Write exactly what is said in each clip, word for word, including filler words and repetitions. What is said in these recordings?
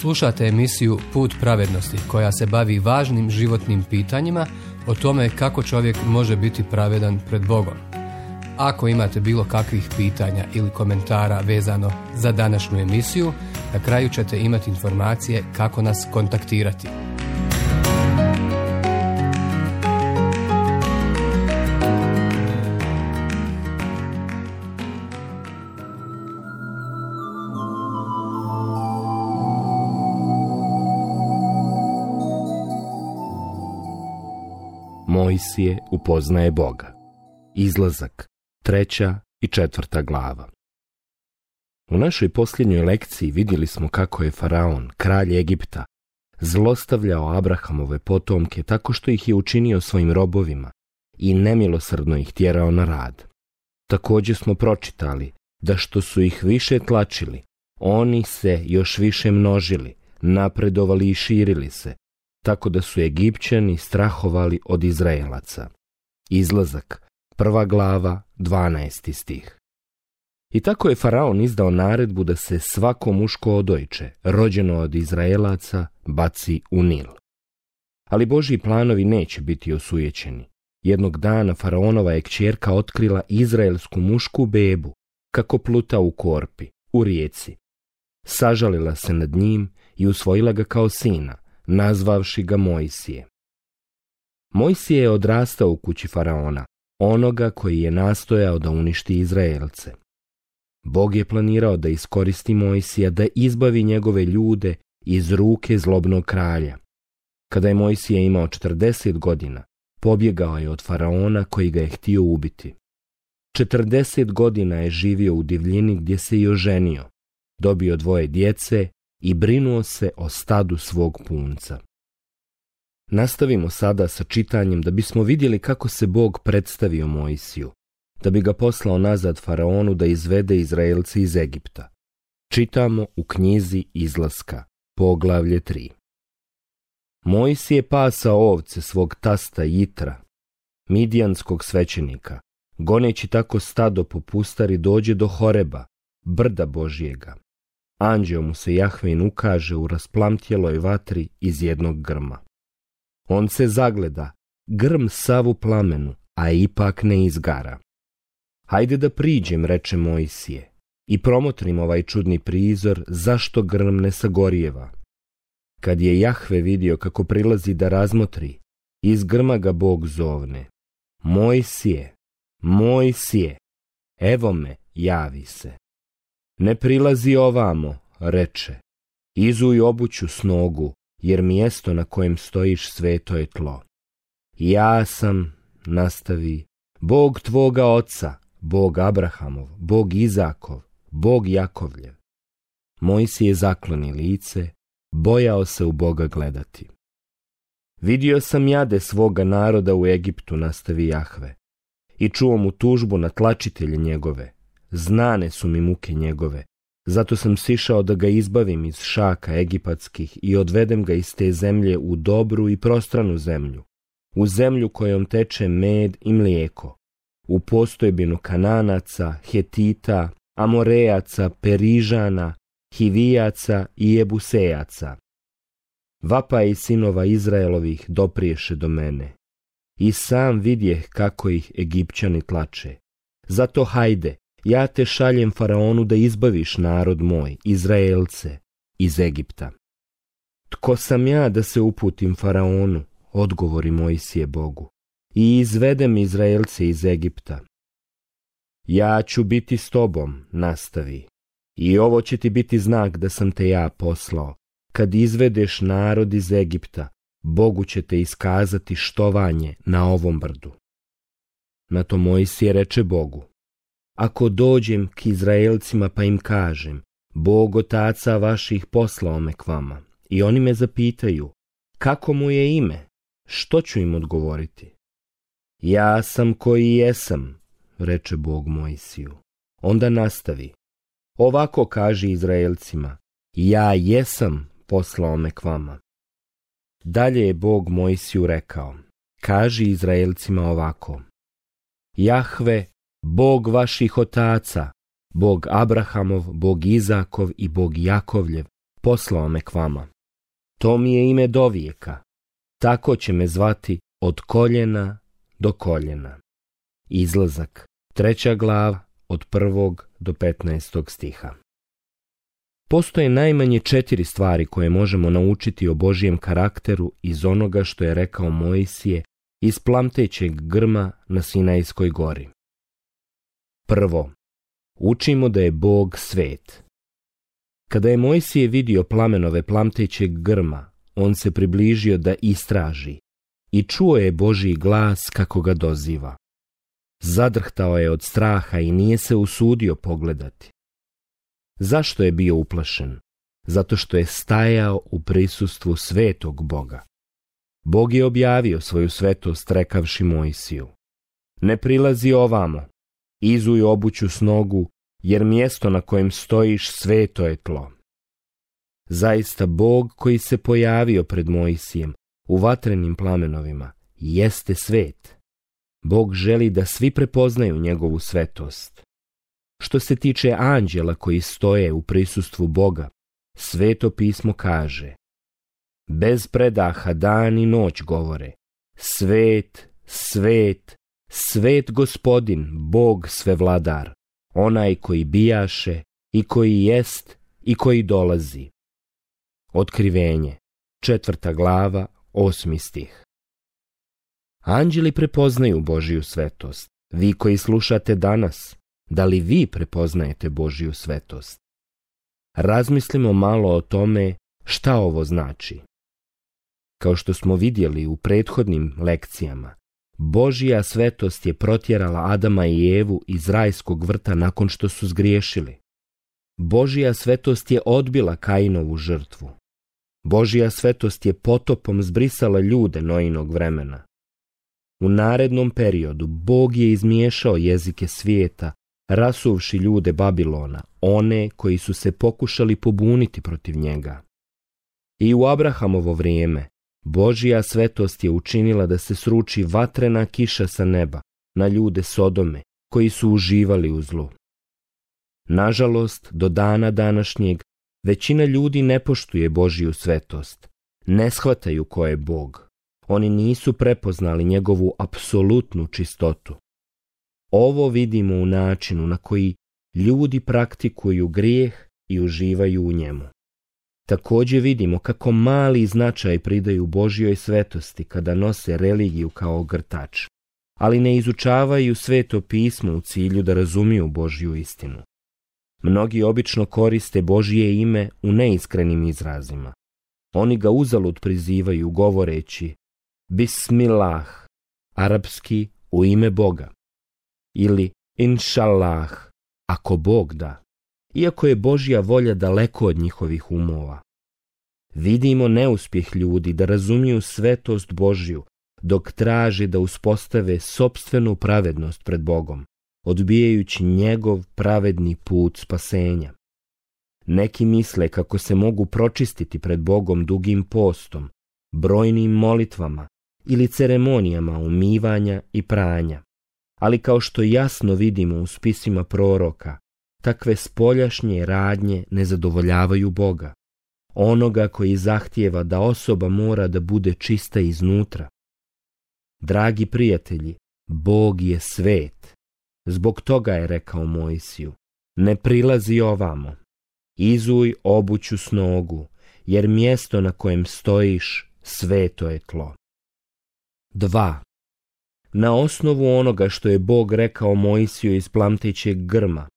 Slušate emisiju Put pravednosti koja se bavi važnim životnim pitanjima o tome kako čovjek može biti pravedan pred Bogom. Ako imate bilo kakvih pitanja ili komentara vezano za današnju emisiju, na kraju ćete imati informacije kako nas kontaktirati. Mojsije upoznaje Boga. Izlazak, treća i četvrta glava. U našoj posljednjoj lekciji vidjeli smo kako je Faraon, kralj Egipta, zlostavljao Abrahamove potomke tako što ih je učinio svojim robovima i nemilosrdno ih tjerao na rad. Također smo pročitali da što su ih više tlačili, oni se još više množili, napredovali i širili se, tako da su Egipćani strahovali od Izraelaca. Izlazak, prva glava, dvanaesti stih. I tako je Faraon izdao naredbu da se svako muško odojče, rođeno od Izraelaca, baci u Nil. Ali Božji planovi neće biti osujećeni. Jednog dana Faraonova je kćerka otkrila izraelsku mušku bebu, kako pluta u korpi, u rijeci. Sažalila se nad njim i usvojila ga kao sina, nazvavši ga Mojsije. Mojsije je odrastao u kući Faraona, onoga koji je nastojao da uništi Izraelce. Bog je planirao da iskoristi Mojsija da izbavi njegove ljude iz ruke zlobnog kralja. Kada je Mojsije imao četrdeset godina, pobjegao je od Faraona koji ga je htio ubiti. četrdeset godina je živio u divljini gdje se i oženio, dobio dvoje djece i brinuo se o stadu svog punca. Nastavimo sada sa čitanjem da bismo vidjeli kako se Bog predstavio Mojsiju, da bi ga poslao nazad Faraonu da izvede Izraelce iz Egipta. Čitamo u knjizi Izlaska, poglavlje tri. Mojsije pasao ovce svog tasta Jitra, midjanskog svećenika, goneći tako stado po pustari dođe do Horeba, brda Božjega. Anđeo mu se Jahvin ukaže u rasplamtjeloj vatri iz jednog grma. On se zagleda, grm sav u plamenu, a ipak ne izgara. Hajde da priđem, reče Mojsije, i promotrim ovaj čudni prizor, zašto grm ne sagorijeva. Kad je Jahve vidio kako prilazi da razmotri, iz grma ga Bog zovne. Mojsije, Mojsije, evo me, javi se. Ne prilazi ovamo, reče, izuj obuću s nogu, jer mjesto na kojem stojiš sveto je tlo. Ja sam, nastavi, Bog tvoga oca, Bog Abrahamov, Bog Izakov, Bog Jakovljev. Mojsije zakloni lice, bojao se u Boga gledati. Vidio sam jade svoga naroda u Egiptu, nastavi Jahve, i čuo mu tužbu na tlačitelje njegove. Znane su mi muke njegove, zato sam sišao da ga izbavim iz šaka egipatskih i odvedem ga iz te zemlje u dobru i prostranu zemlju, u zemlju kojom teče med i mlijeko, u postojbinu Kananaca, Hetita, Amorejaca, Perižana, Hivijaca i Jebusejaca. Vapaj sinova Izraelovih dopriješe do mene, i sam vidjeh kako ih Egipćani tlače. Zato hajde, ja te šaljem Faraonu da izbaviš narod moj, Izraelce, iz Egipta. Tko sam ja da se uputim Faraonu, odgovori Mojsije Bogu, i izvedem Izraelce iz Egipta. Ja ću biti s tobom, nastavi, i ovo će ti biti znak da sam te ja poslao. Kad izvedeš narod iz Egipta, Bogu će te iskazati štovanje na ovom brdu. Na to Mojsije reče Bogu, ako dođem k Izraelcima pa im kažem, Bog otaca vaših poslao me k vama, i oni me zapitaju, kako mu je ime, što ću im odgovoriti? Ja sam koji jesam, reče Bog Mojsiju. Onda nastavi, ovako kaži Izraelcima, ja jesam poslao me k vama. Dalje je Bog Mojsiju rekao, kaži Izraelcima ovako, Jahve, Bog vaših otaca, Bog Abrahamov, Bog Izakov i Bog Jakovljev, poslao me k vama. To mi je ime dovijeka. Tako će me zvati od koljena do koljena. Izlazak, treća glava, od prvog do petnaestog stiha. Postoje najmanje četiri stvari koje možemo naučiti o Božijem karakteru iz onoga što je rekao Mojsije iz plamtećeg grma na Sinajskoj gori. Prvo, učimo da je Bog svet. Kada je Mojsije vidio plamenove plamtećeg grma, on se približio da istraži i čuo je Božji glas kako ga doziva. Zadrhtao je od straha i nije se usudio pogledati. Zašto je bio uplašen? Zato što je stajao u prisustvu svetog Boga. Bog je objavio svoju svetost rekavši Mojsiju: ne prilazi ovamo, izuj obuću s nogu, jer mjesto na kojem stojiš sveto je tlo. Zaista Bog koji se pojavio pred Mojsijem u vatrenim plamenovima jeste svet. Bog želi da svi prepoznaju njegovu svetost. Što se tiče anđela koji stoje u prisustvu Boga, Sveto pismo kaže: bez predaha dan i noć govore: svet, svet, svet Gospodin, Bog svevladar, onaj koji bijaše i koji jest i koji dolazi. Otkrivenje, četvrta glava, osmi stih. Anđeli prepoznaju Božiju svetost. Vi koji slušate danas, da li vi prepoznajete Božiju svetost? Razmislimo malo o tome šta ovo znači. Kao što smo vidjeli u prethodnim lekcijama, Božja svetost je protjerala Adama i Evu iz rajskog vrta nakon što su zgriješili. Božja svetost je odbila Kainovu žrtvu. Božja svetost je potopom zbrisala ljude Noinog vremena. U narednom periodu Bog je izmiješao jezike svijeta, rasuvši ljude Babilona, one koji su se pokušali pobuniti protiv njega. I u Abrahamovo vrijeme Božja svetost je učinila da se sruči vatrena kiša sa neba na ljude Sodome koji su uživali u zlu. Nažalost, do dana današnjeg većina ljudi ne poštuje Božju svetost, ne shvataju ko je Bog. Oni nisu prepoznali njegovu apsolutnu čistotu. Ovo vidimo u načinu na koji ljudi praktikuju grijeh i uživaju u njemu. Također vidimo kako mali značaj pridaju Božjoj svetosti kada nose religiju kao ogrtač, ali ne izučavaju Sveto pismo u cilju da razumiju Božju istinu. Mnogi obično koriste Božje ime u neiskrenim izrazima. Oni ga uzalud prizivaju govoreći Bismillah, arapski u ime Boga, ili Inšallah, ako Bog da, iako je Božja volja daleko od njihovih umova. Vidimo neuspjeh ljudi da razumiju svetost Božju dok traže da uspostave sopstvenu pravednost pred Bogom, odbijajući njegov pravedni put spasenja. Neki misle kako se mogu pročistiti pred Bogom dugim postom, brojnim molitvama ili ceremonijama umivanja i pranja. Ali kao što jasno vidimo u spisima proroka, takve spoljašnje radnje ne zadovoljavaju Boga, onoga koji zahtijeva da osoba mora da bude čista iznutra. Dragi prijatelji, Bog je svet. Zbog toga je rekao Mojsiju: ne prilazi ovamo, izuj obuću s nogu, jer mjesto na kojem stojiš sveto je tlo. Dva. Na osnovu onoga što je Bog rekao Mojsiju iz plamtećeg grma,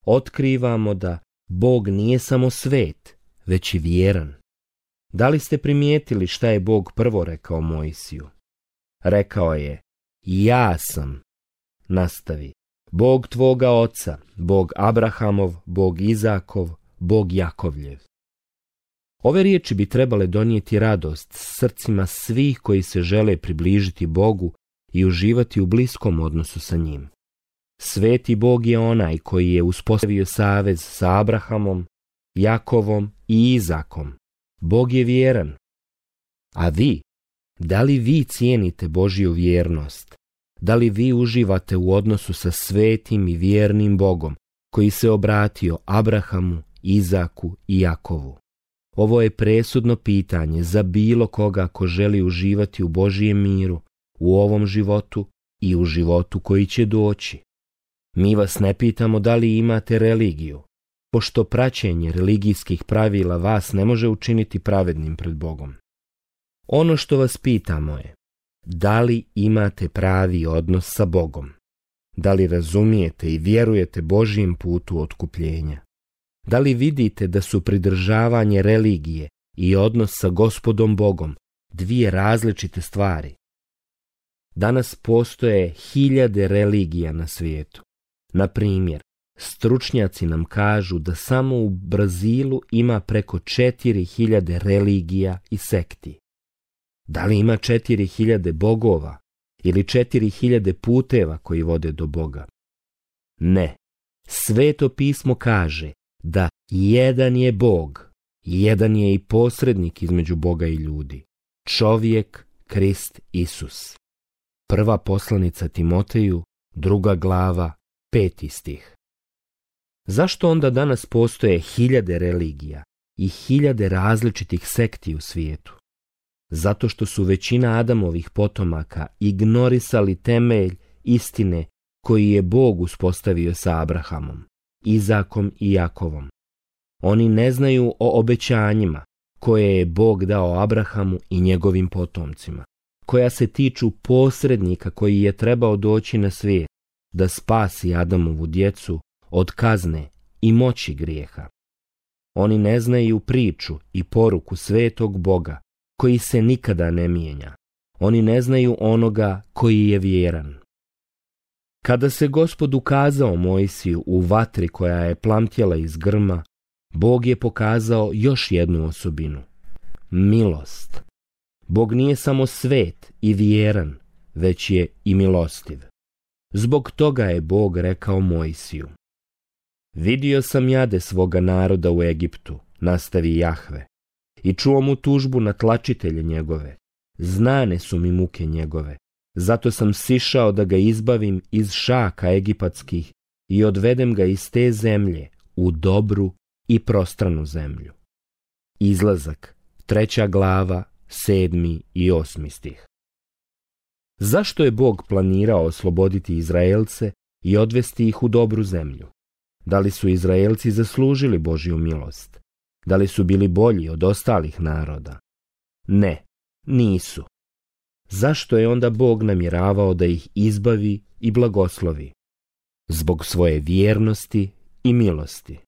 otkrivamo da Bog nije samo svet, već i vjeran. Da li ste primijetili šta je Bog prvo rekao Mojsiju? Rekao je: ja sam, nastavi, Bog tvoga oca, Bog Abrahamov, Bog Izakov, Bog Jakovljev. Ove riječi bi trebale donijeti radost srcima svih koji se žele približiti Bogu i uživati u bliskom odnosu sa njim. Sveti Bog je onaj koji je uspostavio savez sa Abrahamom, Jakovom i Izakom. Bog je vjeran. A vi, da li vi cijenite Božju vjernost? Da li vi uživate u odnosu sa svetim i vjernim Bogom koji se obratio Abrahamu, Izaku i Jakovu? Ovo je presudno pitanje za bilo koga ko želi uživati u Božijem miru, u ovom životu i u životu koji će doći. Mi vas ne pitamo da li imate religiju, pošto praćenje religijskih pravila vas ne može učiniti pravednim pred Bogom. Ono što vas pitamo je, da li imate pravi odnos sa Bogom? Da li razumijete i vjerujete Božijem putu otkupljenja? Da li vidite da su pridržavanje religije i odnos sa Gospodom Bogom dvije različite stvari? Danas postoje hiljade religija na svijetu. Na primjer, stručnjaci nam kažu da samo u Brazilu ima preko četiri hiljade religija i sekti. Da li ima četiri hiljade bogova ili četiri hiljade puteva koji vode do Boga? Ne. Sveto pismo kaže da jedan je Bog, jedan je i posrednik između Boga i ljudi. Čovjek, Krist Isus. Prva poslanica Timoteju, druga glava, peti stih. Zašto onda danas postoje hiljade religija i hiljade različitih sekti u svijetu? Zato što su većina Adamovih potomaka ignorisali temelj istine koji je Bog uspostavio sa Abrahamom, Izakom i Jakovom. Oni ne znaju o obećanjima koje je Bog dao Abrahamu i njegovim potomcima, koja se tiču posrednika koji je trebao doći na svijet da spasi Adamovu djecu od kazne i moći grijeha. Oni ne znaju priču i poruku svetog Boga koji se nikada ne mijenja. Oni ne znaju onoga koji je vjeran. Kada se Gospod ukazao Mojsiju u vatri koja je plamtjela iz grma, Bog je pokazao još jednu osobinu. Milost. Bog nije samo svet i vjeran, već je i milostiv. Zbog toga je Bog rekao Mojsiju: Vidio sam jade svoga naroda u Egiptu, nastavi Jahve, i čuo mu tužbu na tlačitelje njegove. Znane su mi muke njegove, zato sam sišao da ga izbavim iz šaka egipatskih i odvedem ga iz te zemlje u dobru i prostranu zemlju. Izlazak, treća glava, sedmi i osmi stih. Zašto je Bog planirao osloboditi Izraelce i odvesti ih u dobru zemlju? Da li su Izraelci zaslužili Božju milost? Da li su bili bolji od ostalih naroda? Ne, nisu. Zašto je onda Bog namjeravao da ih izbavi i blagoslovi? Zbog svoje vjernosti i milosti.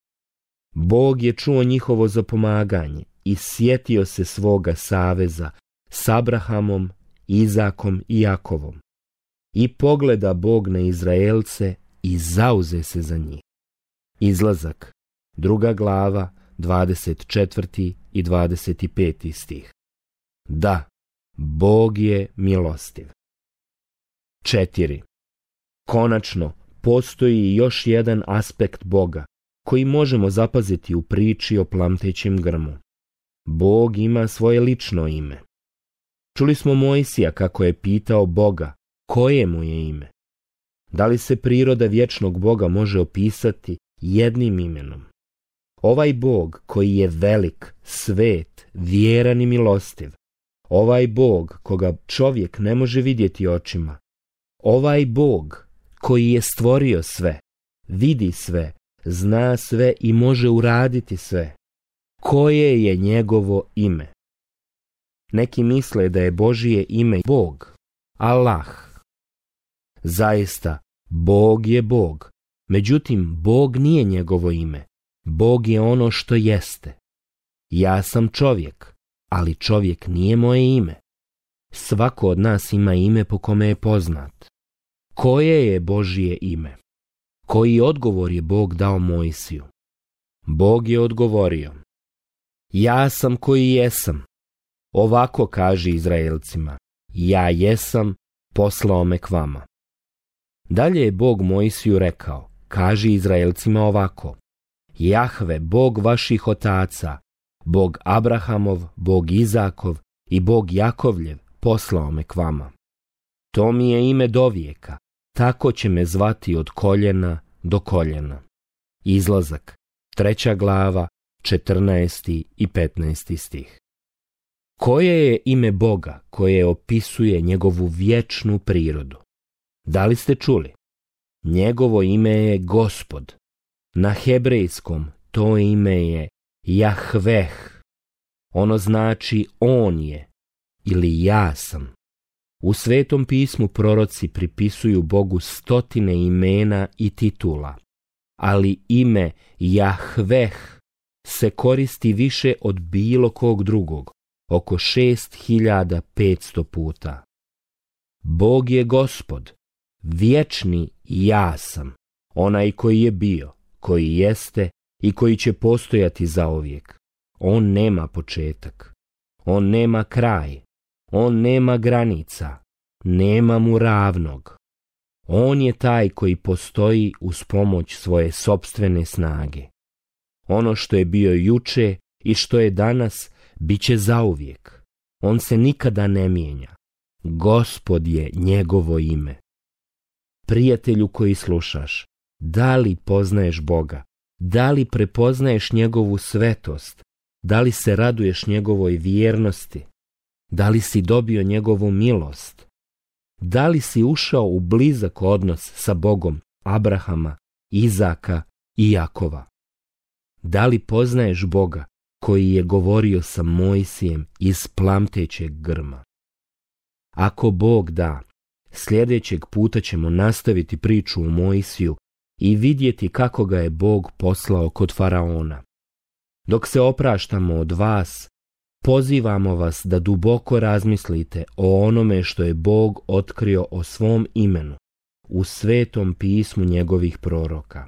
Bog je čuo njihovo zapomaganje i sjetio se svoga saveza s Abrahamom, Izakom i Jakovom. I pogleda Bog na Izraelce i zauze se za njih. Izlazak, druga glava, dvadeset četvrti i dvadeset peti stih. Da, Bog je milostiv. Četiri. Konačno, postoji još jedan aspekt Boga koji možemo zapaziti u priči o plamtećem grmu. Bog ima svoje lično ime. Čuli smo Mojsija kako je pitao Boga koje mu je ime. Da li se priroda vječnog Boga može opisati jednim imenom? Ovaj Bog koji je velik, svet, vjeran i milostiv. Ovaj Bog koga čovjek ne može vidjeti očima. Ovaj Bog koji je stvorio sve, vidi sve, zna sve i može uraditi sve. Koje je njegovo ime? Neki misle da je Božije ime Bog, Allah. Zaista, Bog je Bog. Međutim, Bog nije njegovo ime. Bog je ono što jeste. Ja sam čovjek, ali čovjek nije moje ime. Svako od nas ima ime po kome je poznat. Koje je Božije ime? Koji odgovor je Bog dao Mojsiju? Bog je odgovorio: Ja sam koji jesam. Ovako kaže Izraelcima: Ja jesam, poslao me k vama. Dalje je Bog Mojsiju rekao: Kaži Izraelcima ovako: Jahve, Bog vaših otaca, Bog Abrahamov, Bog Izakov i Bog Jakovljev, poslao me k vama. To mi je ime dovijeka, tako će me zvati od koljena do koljena. Izlazak, treća glava, četrnaesti i petnaesti stih. Koje je ime Boga koje opisuje njegovu vječnu prirodu? Da li ste čuli? Njegovo ime je Gospod. Na hebrejskom to ime je Jahveh. Ono znači on je ili ja sam. U Svetom pismu proroci pripisuju Bogu stotine imena i titula, ali ime Jahveh se koristi više od bilo kog drugog, oko šest hiljada petsto puta. Bog je Gospod, vječni ja sam, onaj koji je bio, koji jeste i koji će postojati zauvijek. On nema početak, on nema kraj, on nema granica, nema mu ravnog. On je taj koji postoji uz pomoć svoje sopstvene snage. Ono što je bio juče i što je danas, bit će zauvijek. On se nikada ne mijenja. Gospod je njegovo ime. Prijatelju koji slušaš, da li poznaješ Boga? Da li prepoznaješ njegovu svetost? Da li se raduješ njegovoj vjernosti? Da li si dobio njegovu milost? Da li si ušao u blizak odnos sa Bogom Abrahama, Izaka i Jakova? Da li poznaješ Boga koji je govorio sa Mojsijem iz plamtećeg grma? Ako Bog da, sljedećeg puta ćemo nastaviti priču o Mojsiju i vidjeti kako ga je Bog poslao kod faraona. Dok se opraštamo od vas, pozivamo vas da duboko razmislite o onome što je Bog otkrio o svom imenu u Svetom pismu njegovih proroka.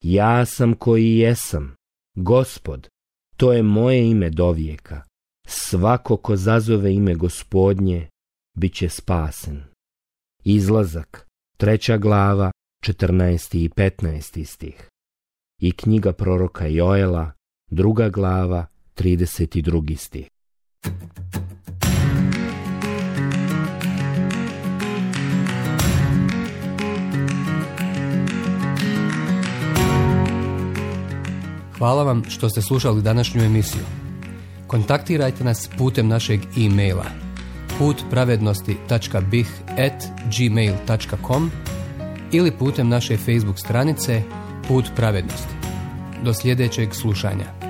Ja sam koji jesam, Gospod, to je moje ime dovijeka. Svako ko zazove ime Gospodnje, bit će spasen. Izlazak, treća glava, četrnaesti i petnaesti stih. I knjiga proroka Joela, druga glava, trideset drugi stih. Hvala vam što ste slušali današnju emisiju. Kontaktirajte nas putem našeg e-maila put pravednosti tačka b i h at gmail tačka com ili putem naše Facebook stranice Put pravednosti. Do sljedećeg slušanja.